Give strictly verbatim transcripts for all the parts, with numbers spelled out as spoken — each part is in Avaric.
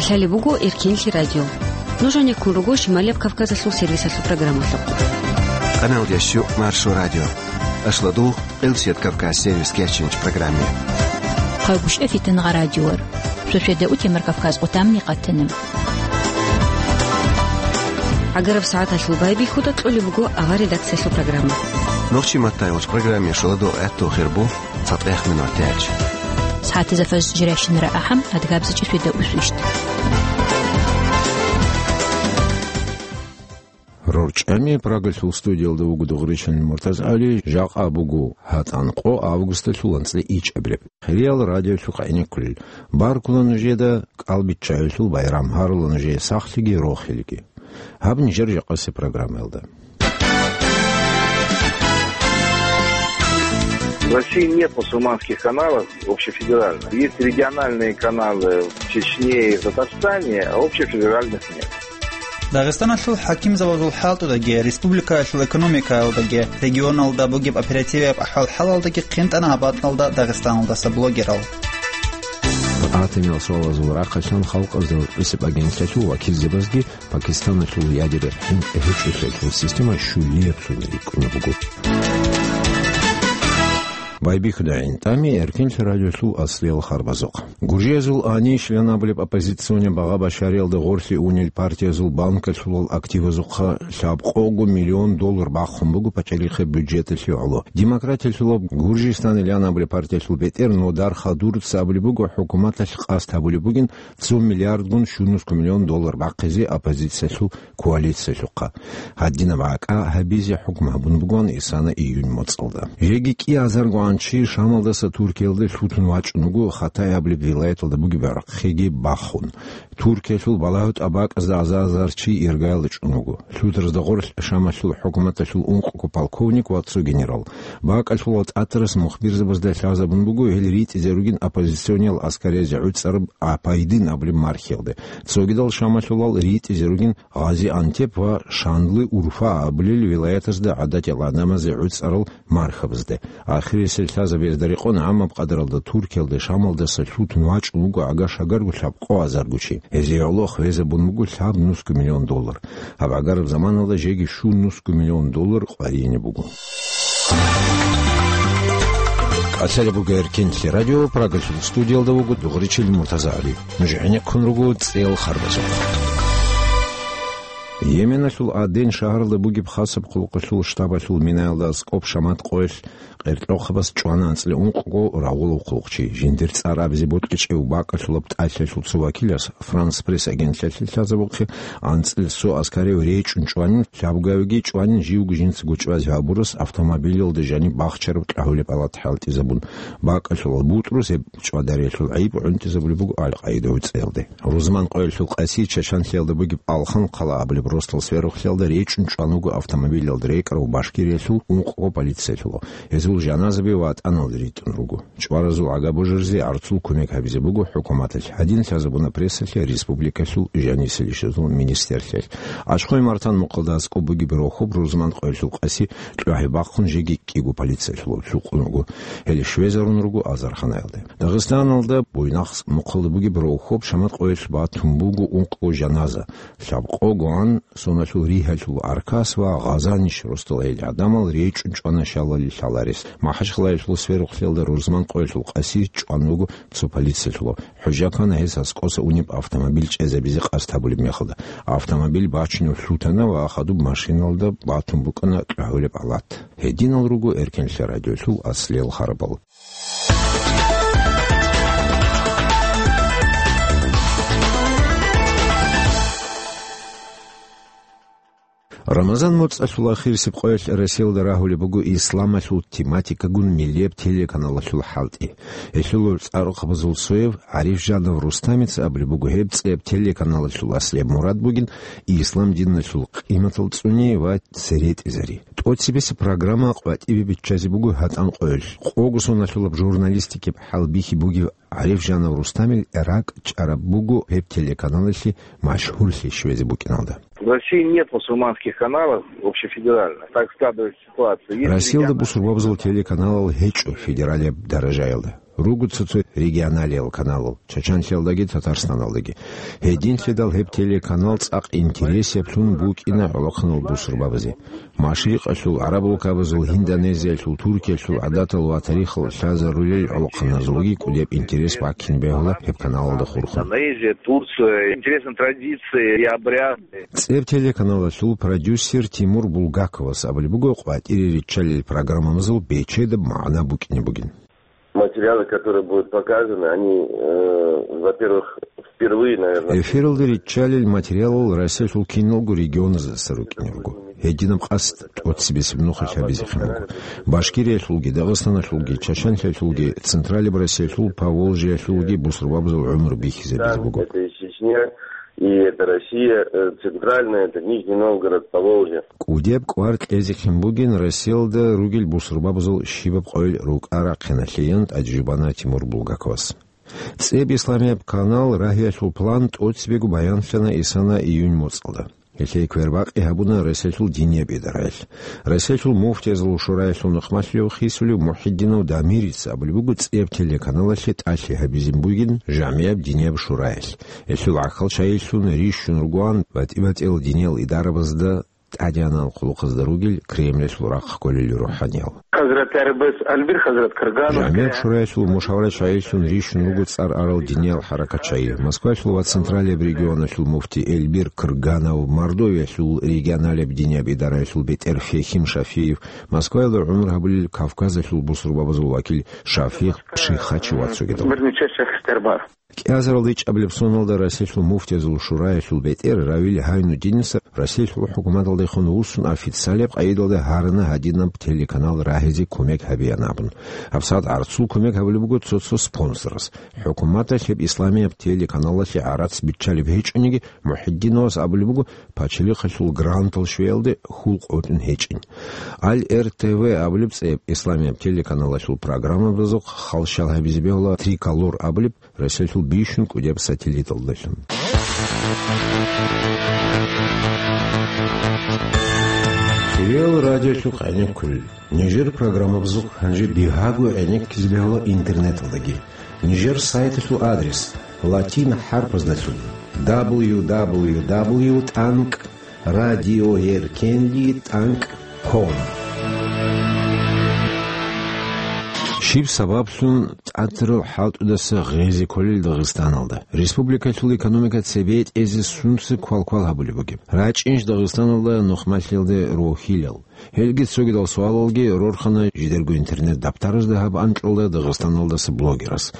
Гьале буго Эркенлъи радио. Нуж гьанеккун руго Шималияб Кавказалъул сервисалъул программалъухъ. Канал дящу Маршо радио. Ашладу Къилсият Кавказ сервис кечинч программе. Хъагушев Фитнагъа радиор. Шошеда утемар Кавказ къутамни къатанам. Агараб сагӀаталъул байбихьуда кьолеб буго авар редакциялъул программа. Нохчи маттайвач программе шаладу гӀатту хирбу. ЦатӀех минутач. СагӀатизафаз жиращинара ахӀам, адгабзичӀи свида усвищт. РорчӀами Прагалъул студиялда вуго Дугъричилин МуртазгӀали, жакъа буго гьатӀан къо августалъул анцӀила ичӀабилеб. Хириял радиолъухъ гӀенеккулел. Баркула нужеда кӀалбиччагӀелъул байрам, гьарула нужее сахлъиги рохелги. Гьаб нижер жакъасе программаялда. В России нет мусульманских каналов общефедеральных. Есть региональные каналы в Чечне и в Татарстане, а общефедеральных нет. Дагъистаналъул хӀакимзабазул хӀалтӀудаги, республикаялъул экономикаялдаги, регионалда бугеб оперативияб ахӀвал-хӀалалдаги хъинтӀана гьаб бакӀалда Дагъистаналдаса блогерал. АтӀимиял суалазул рахъалъан халкъазда гьесиб агентлъиялъул вакилзабазги Пакистаналъул ядерный хӀинкъи гьечӀолъиялъул система щулияб сунда рикӀкӀунеб буго. Байбихьуда гӀинтӀами Эркенлъи радиолъул аслиял харбазухъ. Гуржиязул Аниш лъан абулеб оппозиционный багъа башариялда гъорлъе унел партиязул банкалъулал активазухъа лъабкъого миллион доллар бахъун буго пачалихъе бюджеталъе гӀоло. Демократиялъулаб Гуржистан лъан абулеб партиялъул бетӀер Нодар Хадуровца абулеб буго, хӀукуматалъ къасд гьабулеб бугин цо миллиардгун щунусго миллион доллар бахъизе оппозициялъул коалициялъухъа. Гьадинаб гӀакӀа гьабизе хӀукму гьабун бугоан исана июнь моцӀалда. Жеги кӀиазаргоан чи Шамалдаса Туркиялде лъутун вачӀун вуго Хатай абулеб вилаяталда бугеб гӀурхъиги бахун. Туркиялъул балагьу тӀабакӀазда азар-азар чи иргаялда чӀун вуго. Лъутарзда гъорлъ Шамалъул хӀукуматалъул ункъго полковник ва цо генерал. БакӀалъула тӀатарас мухбирзабазда лъазабун буго гьел ритӀизе ругин оппозициониял аскаризе гӀуцӀараб Апайдин абулеб мархиялде. Цогидал Шамалъулал ритӀизе ругин Гъази-Антеп ва Шандлы-Урфа абулел вилаятазда гӀадатиял гӀадамазе гӀуцӀарал мархабазде. Ахирисел лъазабиязда рекъон гӀаммаб къадаралда Туркиялде Шамалдаса лъутун вачӀун вуго агар-шагарго лъабкъо азарго чи. Гьезие гӀоло хвезабун буго лъабнусго миллион доллар. Гьаб гӀагараб заманалда жеги щуннусго миллион доллар къваригӀине буго. КӀалъалеб буго Эркенлъи радио, Прагалъул студиялда вуго Дугъричил МуртазагӀали. Нуж гӀенеккун руго цӀел харбазухъ. Йеменалъул Аден шагьаралда бугеб хасаб хъулухъалъул штабалъул минаялда аскӀоб шамат къоялъ къеркьохъабаз чӀвана анцӀила ункъго рагъулаб хъулухъчи. Жиндир цӀар абизе бокьичӀев бакӀалъулаб тӀалъиялъул цо вакилас Франс Пресс агентлъиялъе лъазабухъе, анцӀила цо аскарив речӀчӀун чӀванин, лъабгавиги чӀванин, живго жинцаго чӀвазе гьабурас автомобилалда жаниб бахчараб кьагьулеб палат хӀалтӀизабун. БакӀалъулал бутӀрус гьеб чӀвадариялъул гӀайиб гӀунтӀизабулеб буго Аль-Къаида гӀуцӀиялде. Рузман къоялъул къаси Чачанлъиялда бугеб Алхан-Хъала абулеб росдал сверухълъиялда речӀчӀун чӀван вуго автомобилалда рекӀарав Башкириялъул ункъго полициялъул. Гьезул жаназаби ватӀаналде ритӀун руго. ЧӀваразул гӀага божаризе гӀарцул кумек гьабизе буго хӀукуматалъ, гьадин лъазабуна прессалъе республикалъул жанисел ишазул министрлъиялъ. Ачхой-Мартан мухъалда аскӀоб бугеб рохьоб Рузман къоялъул къаси кьвагьи бахъун жеги кӀиго полициялъул лъукъун вуго. Гьеле щвезарун руго азарханаялде. Дагъистаналда Буйнакск мухъалда бугеб рохьоб шамат къоялъ батун буго ункъго жаназа. Лъабкъогоан соналъул ригьалъул Аркас ва Гъазаниш росдал гьел гӀадамал речӀчӀун чӀвана шалали лъаларес. МахӀачхъалаялъул сверухълъиялда Рузман къоялъул къаси чӀван вуго цо полициялъул. ХӀужа ккана гьес аскӀоса унеб автомобиль чӀезабизе къасд гьабулеб мехалда. Автомобиль бачунев лъутана ва хадуб машиналда батун букӀана кьагьулеб палат. Гьединал руго Эркенлъи радиолъул аслиял харабал. Рамазан моцӀалъул ахирисеб къоялъ Россиялда рагьулеб буго исламалъул тематикагун миллияб телеканалалъул хӀалтӀи. Гьелъул цӀакъ рукъабазул цояв ГӀарифжанов Рустамица абулеб буго, гьеб цӀияб телеканалалъул аслияб мурад бугин ислам диналъул къиматал цӀуни ва цере тӀезари. ТӀоцебесеб программа къватӀибе биччазе буго гьатӀан къоялъ. Къого соналъулаб журналистикаб хӀалбихьи бугев ГӀарифжанов Рустамил ракӀчӀараб буго гьеб телеканалалъе машгьурлъи щвезе букӀиналда. В России нет мусульманских каналов общефедеральных. Так складывается ситуация. Есть Россиялда региональные бусурбабазул каналы. Телеканалал гьечӀо федералияб даражаялда. Руго цо-цо регионалиял каналал, Чачанлъиялдаги Татарстаналдаги. Гьединлъидал гьеб телеканал цӀакъ интересаблъун букӀина гӀолохъанал бусурбабазе. Машрикъалъул, гӀараб гӀуркабазул, Индонезиялъул, Туркиялъул гӀадатал ва тарихал лъазарулел гӀолохъаназулги кӀудеб интерес баккин бегьула гьеб каналалда хурхун. Индонезия, Турция, интересные традиции и обряды. ЦӀеб телеканалалъул продюсер Тимур Булгаковас абулеб буго, къватӀире риччалел программабазул бечедаб магӀна букӀине бугин. Материалы, которые будут показаны, они, э, во-первых, впервые, наверное. Эфиралда риччалел материалал Россиялъул киналго регионаздаса рукӀине руго. Гьединаб къасд тӀоцебесеб нухалъ гьабизехъин буго. Башкириялъулги, Дагъистаналъулги, Чачанлъиялъулги, Централаб Россиялъул, Поволжьеялъулги бусурбабазул гӀумру бихьизабизе буго. Это и Чечня, и это Россия, э, центральная, это Нижний Новгород, Поволжье. КӀудеб кӀвар кьезехъин бугин Россиялда ругел бусурбабазул щибаб къойил рукӀа-рахъиналъеян тӀаде жубана Тимур Булгаковас. ЦӀеб исламияб канал рагьиялъул план тӀоцебего баянлъана исана июнь моцӀалда. Гьелъие квербакъи гьабуна Россиялъул динияб идараялъ. Россиялъул муфтиязул шураялъул нухмалъулев хисулев Мухьиддинов Дамирица абулеб буго цӀеб телеканалалъе тӀалъи гьабизин бугин жамгӀияб динияб шураялъ. Гьелъул гӀахьал чагӀилъун рищун ругоан батӀи-батӀиял диниял идарабазда тӀадегӀанал хъулухъазда ругел Кремлалъул рахъ кколел рухӀаниял. Хазрат Арбес Альбир, Хазрат Карганов. ЖамгӀияб шураялъул мушаварат чагӀилъун рищун руго цӀар арал диниял хӀаракат чагӀи. Москваялъул ва Централияб регионалъул муфти Эльбир Крганов, Мордовиялъул регионалияб динияб идараялъул бетӀер Фехим Шафиев, Москваялда гӀумру гьабулел Кавказалъул бусурбабазул вакил Шафигъ Пшихачев ва цогидал. Бирнича шехс тербар. КӀиазарал ричӀабилеб соналда Россиялъул муфтиязул шураялъул бетӀер Равил Гьайнуддиница Россиялъул хӀукуматалдехун вуссун официалияб къагӀидалда гьарана гьадинаб телеканал рагьизе кумек гьабеян абун. ГьабсагӀат гӀарцул кумек гьабулеб буго цо-цо спонсорас. ХӀукуматалъ гьеб исламияб телеканалалъе гӀарац биччалеб гьечӀониги, Мухьиддиновас абулеб буго, пачалихъалъул грантал щвеялде хьул къотӀун гьечӀин. Аль-РТВ абулеб цӀеб исламияб телеканалалъул программабазухъ халщал гьабизе бегьула Триколор абулеб Россиялъул бищун кӀудияб сателлиталдалъун. Кирил радиолъухъ гӀенеккулел. Нижер программабазухъ гьанже бигьаго гӀенеккизе бегьула интернеталдаги. Нижер сайталъул адрес латин хӀарпаздалъун: дабл ю дабл ю дабл ю тӀанкӀ радиоеркенлъи тӀанкӀ ком. Щиб сабаблъун тӀатарал хӀалтӀудаса гъезе кколел Дагъистаналда? Республикалъул экономика цебе тӀезе сунца квал-квал гьабулеб бугеб? РачӀинищ Дагъистаналда нухмалъиялде рохьилал? Гьелги цогидал суалалги рорхана жидерго интернет-дабтаразда гьаб анкьалда Дагъистаналдаса блогерас.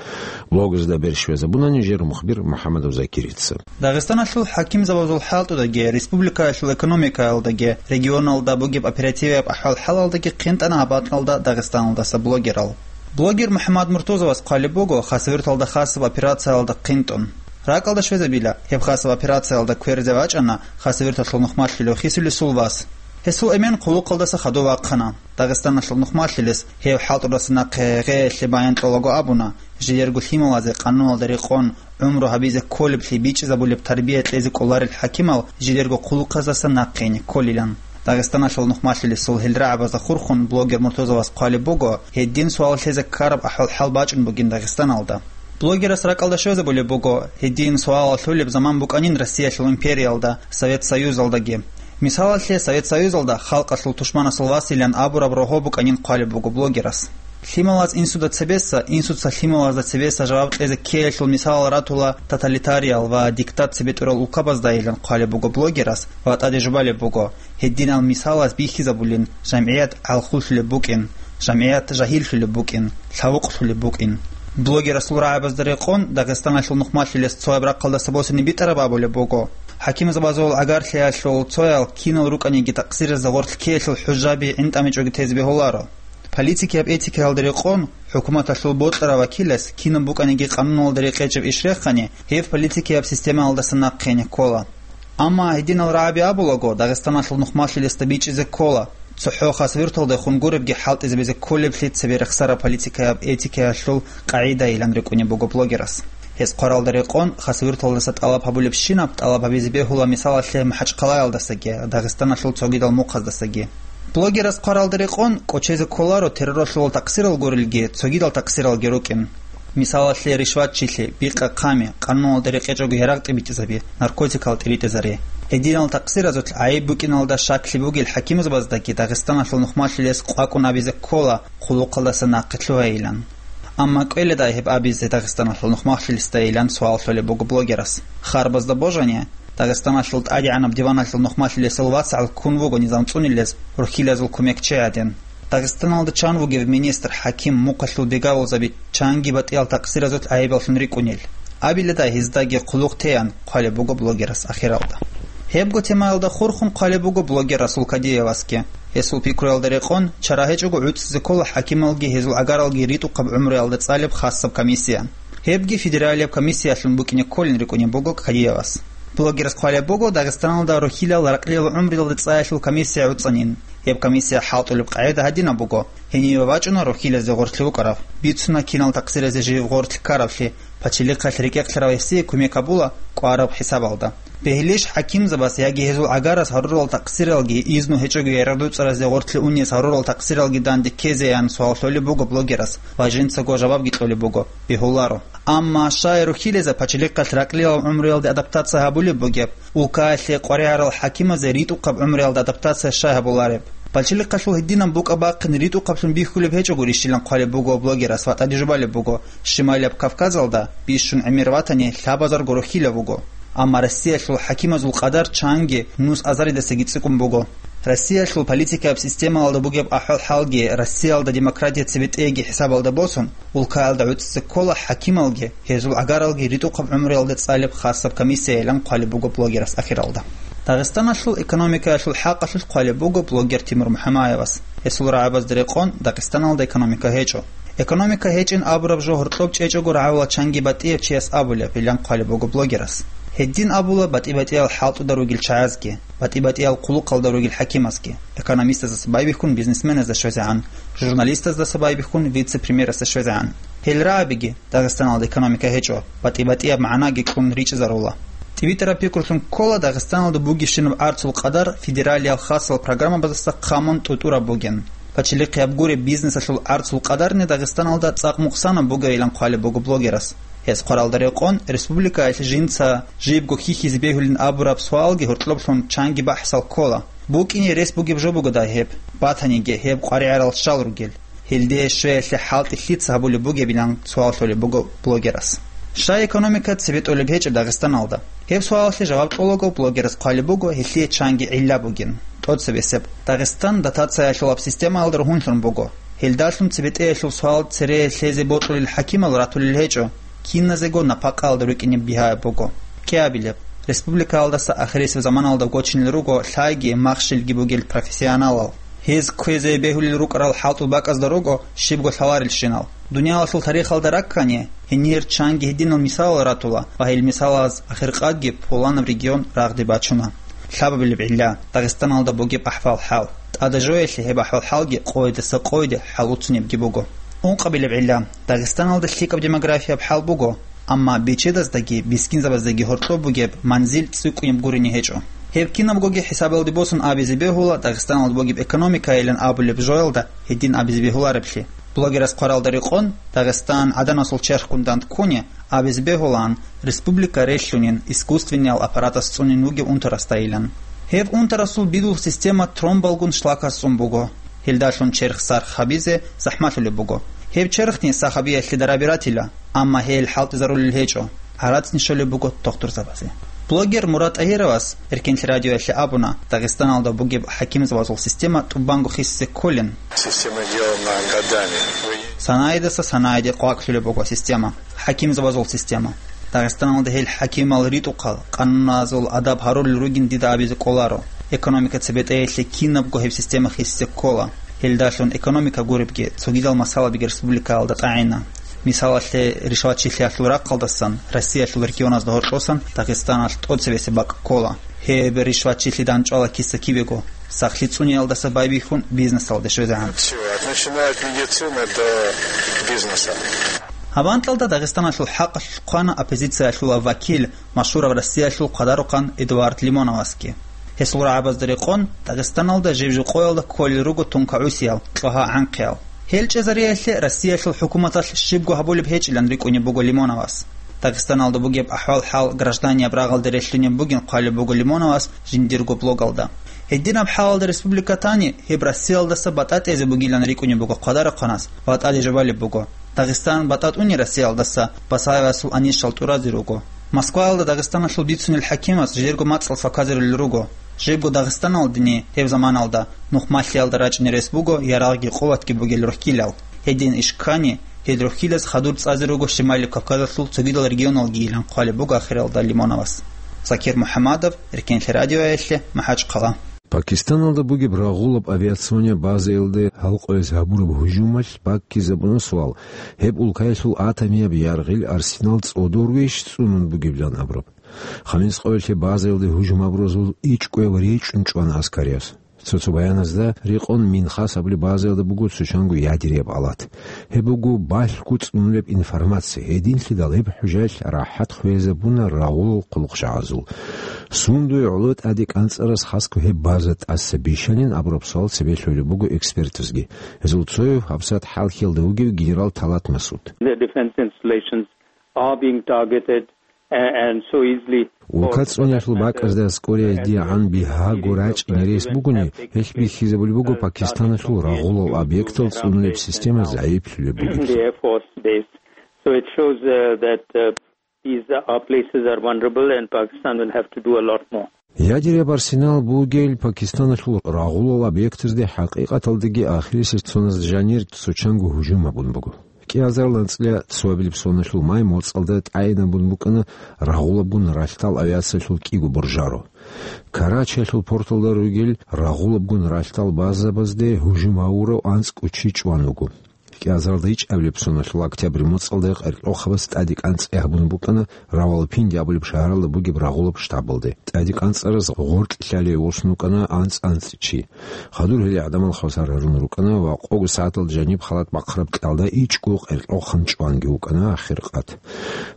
Блогазда берщвезабуна нижер мухбир МухӀаммадов Закирица. Дагъистаналъул хӀакимзабазул хӀалтӀудаги, республикаялъул экономикаялдаги, регионалда бугеб оперативияб ахӀвал-хӀалалдаги хъинтӀана гьаб анкьалда Дагъистаналдаса блогерал. Блогер МухӀаммад Муртузовас хъвалеб буго хасавюрталда хасаб операциялда хъинтӀун. РакӀалда щвезабила, гьеб хасаб операциялда кверзе вачӀана хасавюрталъул нухмалъулев хисулесул вас. Гьесул эмен хъулухъалдаса хадув вахъана. Дагъистаналъул нухмалъилес гьев хӀалтӀудаса нахъе гъеелъе баян кьолаго абуна, жидерго лъималазе къануналда рекъон гӀумру гьабизе кколеблъи бичӀчӀизабулеб тарбия кьезе кӀоларел хӀакимал жидерго хъулухъаздаса нахъе гӀенекколилан. Дагъистаналъул нухмалъилесул гьел рагӀабазда хурхун блогер Муртузовас хъвалеб буго, гьедин суал лъезе ккараб ахӀвал-хӀал бачӀун бугин Дагъистаналда. Блогерас ракӀалда щвезабулеб буго, гьедин суалал лъолеб заман букӀанин Россиялъул империялда, Совет Союзалдаги. Мисалалъе, Совет Союзалда халкъалъул тушманасул василан абураб рогьо букӀанин хъвалеб буго блогерас. Лъималаз инсуда цебеса, инсуца лъималазда цебеса жаваб кьезе ккеялъул мисалал ратула тоталитариял ва диктат цебетӀурал улкабаздайилан хъвалеб буго блогерас ва тӀаде жубалеб буго, гьединал мисалаз бихьизабулин, жамгӀият гӀалхуллъулеб букӀин, жамгӀият жагьиллъулеб букӀин, лъавукълъулеб букӀин. Блогерасул рагӀабазда рекъон, Дагъистаналъул нухмалъилес цояб рахъалдаса босине битӀараб абулеб буго. ХӀакимзабазул гӀагарлъиялъул цоял кинал рукӀаниги такъсиразда гъорлъ ккеялъул хӀужаби гӀинтӀамичӀоги тезе бегьуларо. Политикияб этикаялда рекъон, хӀукуматалъул бокьарав вакилас кинаб букӀаниги къануналда рекъечӀеб иш рехани, гьев политикияб системаялдаса нахъе гӀенеккола. Амма гьединал рагӀаби абулаго, Дагъистаналъул нухмалъилесда бичӀчӀизе ккола, цохӀо хасавюрталдехун гуребги хӀалтӀизабизе кколеблъи цебе рехсараб политикаяб этикаялъул къагӀидайилан рекӀунеб буго блогерас. Гьес хъваралда рекъон, хасавюрталдаса тӀалаб гьабулебщинаб тӀалаб гьабизе бегьула мисалалъе МахӀачхъалаялдасаги, Дагъистаналъул цогидал мухъаздасаги. Блогерас хъваралда рекъон, кӀочезе кколаро терроралъул такъсирал гурелги, цогидал такъсиралги рукӀин. Мисалалъе, ришватчилъи, бикъа-хъами, къануналда рекъечӀого ярагъ тӀибитӀизаби, наркотикал тӀиритӀизари. Гьединал такъсиразулъ гӀайиб букӀиналда щаклъи бугел хӀакимзабаздаги Дагъистаналъул нухмалъулес къвакӀун абизе ккола хъулухъалдаса нахъе лъугьайилан. Амма кӀвеледай гьеб абизе Дагъистаналъул нухмалъулесдайилан суал лъолеб буго блогерас. Харбазда божани, Дагъистаналъул ТӀадегӀанаб диваналъул нухмалъулесул вацгӀал ккун вуго низам цӀунилез рухьилазул кумекчи гӀадин. Дагъистаналда чан вугев министр, хӀаким, мухъалъул бегавулзаби чанги батӀиял такъсиразулъ гӀайибаллъун рикӀкӀунел? Абиледай гьездаги хъулухъ теян, хъвалеб буго блогерас ахиралда. Гьебго темаялда хурхун хъвалеб буго блогер Расул Кадиевасги. Гьесул пикруялда рекъон, чара гьечӀого гӀуцӀизе ккола хӀакималги гьезул гӀагаралги ритӀухъаб гӀумруялда цӀалеб хасаб комиссия. Гьебги федералияб комиссиялъун букӀине кколин рикӀкӀунеб буго Кадиевас. Блогерас хъвалеб буго Дагъистаналда рухьилал ракълил гӀумруялда цӀаялъул комиссия гӀуцӀанин. Гьеб комиссия хӀалтӀулеб къагӀида гьадинаб буго: гьениве вачӀуна рухьилазе гъорлъи букӀараб, бицуна кинал такъсиразе жив гъорлъ ккаравлъи, пачалихъалъ рекӀекълъарав гьесие кумек гьабула кӀвараб хӀисабалда. Бегьилищ хӀакимзабаз яги гьезул гӀагараз гьарурал такъсиралги изну гьечӀого ярагъ дуцӀаразе гъорлъе унез гьарурал такъсиралги данде ккезеян суал лъолеб буго блогерас ва жинцаго жавабги кьолеб буго, бегьуларо. Амма щай рухьилазда пачалихъалъ ракълилал гӀумруялде адаптация гьабулеб бугеб, улкаялъе къваригӀарал хӀакимазе ритӀухъаб гӀумруялда адаптация щай гьабулареб? Пачалихъалъул гьединаб букӀа-бахъин ритӀухъаблъун бихьулеб гьечӀогурищилан хъвалеб буго блогерас ва тӀаде жубалеб буго, Щималияб Кавказалда бищун гӀемер ватани лъабазарго рухьилав вуго. Амма Россиялъул хӀакимазул къадар чанги нус азаридасаги цӀикӀкӀун буго. Россиялъул политикаяб системалда бугеб ахӀвал-хӀалги, Россиялда демократия цебетӀеги хӀисабалда босун, улкаялда гӀуцӀизе ккола хӀакималги, гьезул гӀагаралги ритӀухъаб гӀумруялда цӀалеб хасаб комиссияйилан хъвалеб буго блогерас ахиралда. Дагъистаналъул экономикаялъул хӀакъалъулъ хъвалеб буго блогер Тимур МухӀамаевас. Гьесул рагӀабазда рекъон, Дагъистаналда экономика гьечӀо. Экономика гьечӀин абураб жо гьоркьоб чӀечӀого рагӀула чанги батӀияб чияс абулеб, илан хъвалеб буго блогерас. Гьедин абула батӀи-батӀиял хӀалтӀуда ругел чагӀазги, батӀи-батӀиял хъулухъалда ругел хӀакимазги, экономистаздаса байбихьун бизнесменазда щвезегӀан, журналистаздаса байбихьун вице-премьерасда щвезегӀан. Гьел рагӀабиги, Дагъистаналда экономика гьечӀо, батӀи-батӀияб магӀнаги кьун ричӀезарула. ТӀибитӀараб пикрулъун ккола Дагъистаналда бугебщинаб гӀарцул къадар федералиял хасал программабаздаса хъамун тӀутӀураб бугин. Пачалихъияб гуреб бизнесалъул гӀарцул къадарни Дагъистаналда цӀакъ мукъсанаб бугейилан хъвалеб буго блогерас. Гьес хъваралда рекъон, республикаялъ жинца жибго хьихьизе бегьулин абураб суалги гьоркьоблъун чанги бахӀсал ккола. БукӀине рес бугеб жо бугодай гьеб? Батаниги, гьеб къваригӀарал щал ругел? Гьелде щвеялъе хӀалтӀи лъица гьабулеб бугебилан суал лъолеб буго блогерас. Щай экономика цебетӀолеб гьечӀеб Дагъистаналда? Гьеб суалалъе жаваб кьолаго блогерас хъвалеб буго гьелъие чанги гӀилла бугин. ТӀоцебесеб, Дагъистан дотациялъулаб системаялда ругьунлъун буго. Гьелдалъун цебетӀеялъул суал цере лъезе бокьулел хӀакимал ратулел гьечӀо, киназего напакъаялда рукӀине бигьаяб буго. КӀиабилеб, республикаялдаса ахирисеб заманалда гочинел руго лъайги махщелги бугел профессионалал. Гьез кквезе бегьулел рукӀарал хӀалтӀул бакӀазда руго щибго лъаларелщинал. Дуниялалъул тарихалда раккани, гьенир чанги гьединал мисалал ратула ва гьел мисалаз ахиркъадги пуланаб регион рагъде бачуна. Лъабабилеб гӀилла, Дагъистаналда бугеб ахӀвал-хӀал. ТӀадежоялъе гьеб ахӀвал-хӀалги къойидаса къойиде хӀалуцунебги буго. Ункъабилеб гӀилла, Дагъистаналда лъикӀаб демографияб хӀал буго, амма бечедаздаги бискинзабаздаги гьоркьоб бугеб манзил цӀикӀкӀунеб гурине гьечӀо. Гьеб кинабгоги хӀисабалде босун абизе бегьула Дагъистаналда бугеб экономикайилан абулеб жоялда гьедин абизе бегьулареблъи. Блогерас хъваралда рекъон, Дагъистан гӀаданасул черхгун дандккуни абизе бегьулаан, республика релълъунин, искусственниял аппаратас цӀунин вугев унтарасдайилан. Гьеб унтарасул бидул система тромбалгун шлакас цӀун буго. Гьелдалъун черх сарх гьабизе захӀмалъулеб буго. Гьеб черхни сахабиялъе дараби ратила, амма гьел хӀалтӀизарулел гьечӀо, гӀарацни щолеб буго тухтурзабазе. Блогер Мурад ТӀагьировас Эркенлъи радиоялъе абуна, Дагъистаналда бугеб хӀакимзабазул система тӀубанго хисизе кколин. Система сделана годами. Вы Санаидаса санаиде къвакълъулеб буго система, хӀакимзабазул система. Дагъистаналда гьел хӀакимал ритӀухъал, къануназул адаб гьарулел ругин дида абизе кӀоларо. Экономика цебетӀеялъе кинабго гьеб система хисизе ккола. Гьелдалъун экономика гуребги, цогидал масъалабиги республикаялда тӀагӀина. Мисалалъе, ришватчилъиялъул рахъалдасан Россиялъул регионазда гьоркьосан Дагъистаналъ тӀоцебесеб бакӀ ккола. Гьеб ришватчилъи дандчӀвала киса-кибего, сахлъи цӀуниялдаса байбихьун бизнесалде щвезегӀан. Всё, от, начиная от медицины до бизнеса. Гьаб анкьалда Дагъистаналъул хӀакъалъулъ хъвана оппозициялъулав вакил, машгьурав Россиялъул хъвадарухъан Эдуард Лимоновасги. Гьесул рагӀабазда рекъон, Дагъистаналда жив-жив къоялда кколел руго тункагӀусиял, кьогьа-гӀанхъиял. Гьел чӀезариялъе Россиялъул хӀукуматалъ щибго гьабулеб гьечӀилан рикӀкӀунеб буго Лимоновас. Дагъистаналда бугеб ахӀвал-хӀал гражданияб рагъалде релълъунеб бугин хъвалеб буго Лимоновас жиндирго блогалда. Гьединаб хӀалалда республика тани, гьеб Россиялдаса батӀа тӀезе бугилан рикӀкӀунеб буго хъвадарахъанас ва тӀаде жубалеб буго: Дагъистан батӀа тӀуни Россиялдаса Басаевасул анищал тӀуразе руго. Москваялда Дагъистаналъул бицунел хӀакимас жидерго мацӀал сваказарулел руго. Жибго Дагъистаналдани гьеб заманалда нухмалъиялда рачӀине рес буго ярагъги къуватги бугел рухькилал. Гьедин иш ккани, гьел рухькилаз хадур цӀазе руго Шимали Кавказалъул цогидал регионалгийилан хъвалеб буго ахиралда Лимоновас. Закир МухӀаммадов, Эркенлъи радиоялъе, МахӀачхъала. Пакистаналда бугеб рагъулаб авиационияб базаялде гьалкъояз гьабураб гьужумалъ баккизабуна суал, гьеб улкаялъул атомияб яргъил арсенал цӀодорвейищ цӀунун бугеблъан абураб. Хамис къоялъе базаялде гьужум гьабуразул ичӀкӀояв речӀчӀун чӀвана аскарияб. Цо-цо баяназда рекъон Минхас абулеб базаялда буго цочанго ядеряб алат. Гьеб буго балъго цӀунулеб информация, гьединлъидал гьеб хӀужаялъ рахӀат хвезабуна рагъулал хъулухъчагӀазул. Сундуе гӀоло тӀаде кӀанцӀарас хасго гьеб база тӀаса бищанин абураб суал цебе лъолеб буго экспертазги. Гьезул цояв гьабсагӀат хӀалхьиялда вугев генерал Талат Масуд. The defense installations are being targeted, uh, and so easily. Улка цӀуниялъул бакӀазда аскӀориялдегӀан бигьаго рачӀине рес бугони, гьелъ бихьизабулеб буго Пакистаналъул рагъулал объектал цӀунулеб система загӀиплъулеб бугеб. The Air Force Base. So it shows, uh, that, uh, these, uh, places are vulnerable and Pakistan will have to do a lot more. Ядеряб арсенал бугел Пакистаналъул рагъулал объектазде хӀакъикъаталдаги ахирисеб цоназ жанир цочанго гьужум гьабун буго. КӀиазарилан анцӀила цоабилеб соналъул май моцӀалда тӀайинабун букӀана рагъулабгун ралъдал авиациялъул кӀиго буржаро. Карачиялъул порталда ругел рагъулабгун ралъдал базабазде гьужум гьавурав анцӀго чи чӀван вуго. КӀиазарилда ичӀабилеб соналъул октябрь моцӀалда къеркьохъабаз тӀаде кӀанцӀи гьабун букӀана Равалпинди абулеб шагьаралда бугеб рагъулаб штабалде. ТӀаде кӀанцӀараз гъоркь лъалей восун вукӀана анцӀ-анцӀ чи. Хадур гьеле гӀадамал хвасар гьарун рукӀана ва къого сагӀаталда жаниб халат бахъараб кьалда ичӀго къеркьохъан чӀванги вукӀана ахир къат.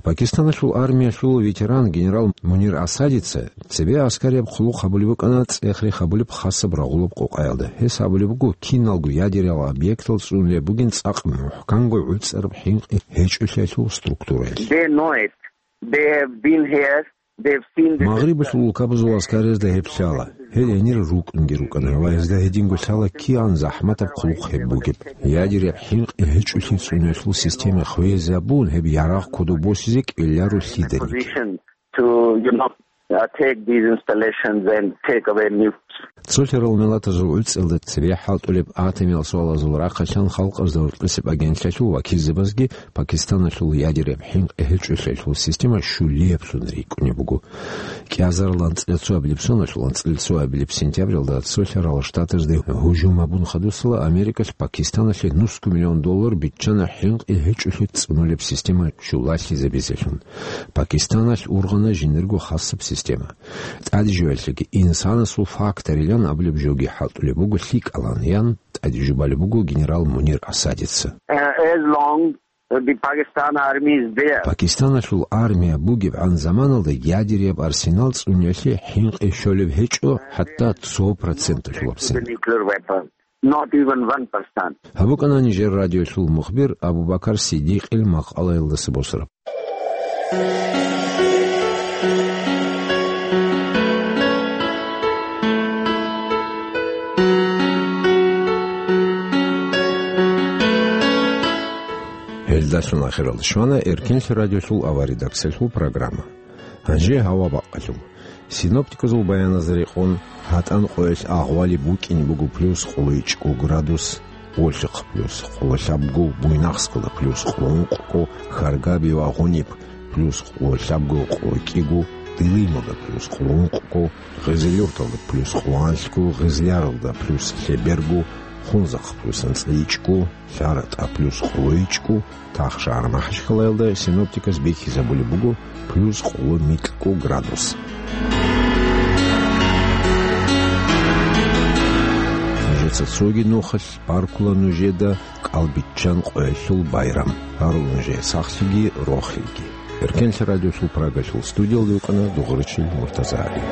Пакистаналъул армиялъул ветеран генерал Мунир Асадица цебе аскарияб хъулухъ гьабулеб букӀана цӀех-рех гьабулеб хасаб рагъулаб къокъаялда. Гьес абулеб буго, киналго ядерал объектал цӀунулеб бугин цӀакъ мухӀканго гӀуцӀараб хӀинкъи гьечӀолъиялъул структураялъ. They know it. They have been here. They've seen this. Магърибалъул улкабазул аскариязда гьеб лъала. Гьел гьенир рукӀунги рукӀана ва гьезда гьединго лъала кигӀан захӀматаб хъулухъ гьеб бугеб. Ядеряб хӀинкъи гьечӀолъи цӀуниялъул система хвезабун, гьеб ярагъ кодоб босизе кӀвеларо лъиданиги. Position to, you know, uh, take these installations and take away nukes. Цолъарал миллатазул гӀуцӀиялда цебе хӀалтӀулеб атомиял суалазул рахъалъан халкъазда гьоркьосеб агентлъиялъул вакилзабазги Пакистаналъул ядеряб хӀинкъи гьечӀолъиялъул система щулиеблъун рикӀкӀунеб буго. КӀиазарилан анцӀила цоабилеб соналъул анцӀила цоабилеб сентябралда Цолъарал Штатазде гьужум гьабун хадусала Америкалъ Пакистаналъе нусго миллион доллар биччана хӀинкъи гьечӀолъи цӀунулеб система щулалъизабизелъун. Пакистаналъ ургъана жиндирго хасаб система. ТӀадежоялъеги инсанасул факторилан абулеб жоги хӀалтӀулеб буго лъикӀалан, ян тӀадежубалеб буго генерал Мунир Асадица. Uh, as long the Pakistan army is there. Пакистаналъул армия бугебгӀан заманалда ядеряб арсенал цӀуниялъе хӀинкъи щолеб гьечӀо, хӀатта цо проценталъулабцин. The nuclear weapon. Not even one percent. Гьаб букӀана нижер радиолъул мухбир Абу-Бакар Сиддикъил макъалаялдаса босараб. Гьелдалъун ахиралде щвана Эркенлъи радиолъул авария редакциялъул программа. Гьанже гьава бакъалъув. Синоптиказул баяназда рекъон, ГьатӀан къоялъ агъвали букӀине буго плюс къоло ичӀго градус, Олъихъ плюс къоло лъабго, Буйнакскалда плюс къоло ункъго, Харгаби ва Гъуниб плюс къоло лъабго къоркӀиго, Дилималда плюс къоло ункъго, Гъизилюрталда плюс къоло анлъго, Гъизляралда плюс лъеберго, Хунзахъ плюс анцӀила ичӀго, ЛъаратӀа плюс къоло ичӀго, Тахшагьар МахӀачхъалаялда синоптикас бихьизабулеб буго плюс къоло микьго градус. Нижеца цоги нухалъ баркула нужеда кӀалбиччан къоялъул байрам. Гьарула нужее сахлъиги рохелги. Эркенлъи радиолъул Прагалъул студиялда вукӀана Дугъричил Муртазагьари.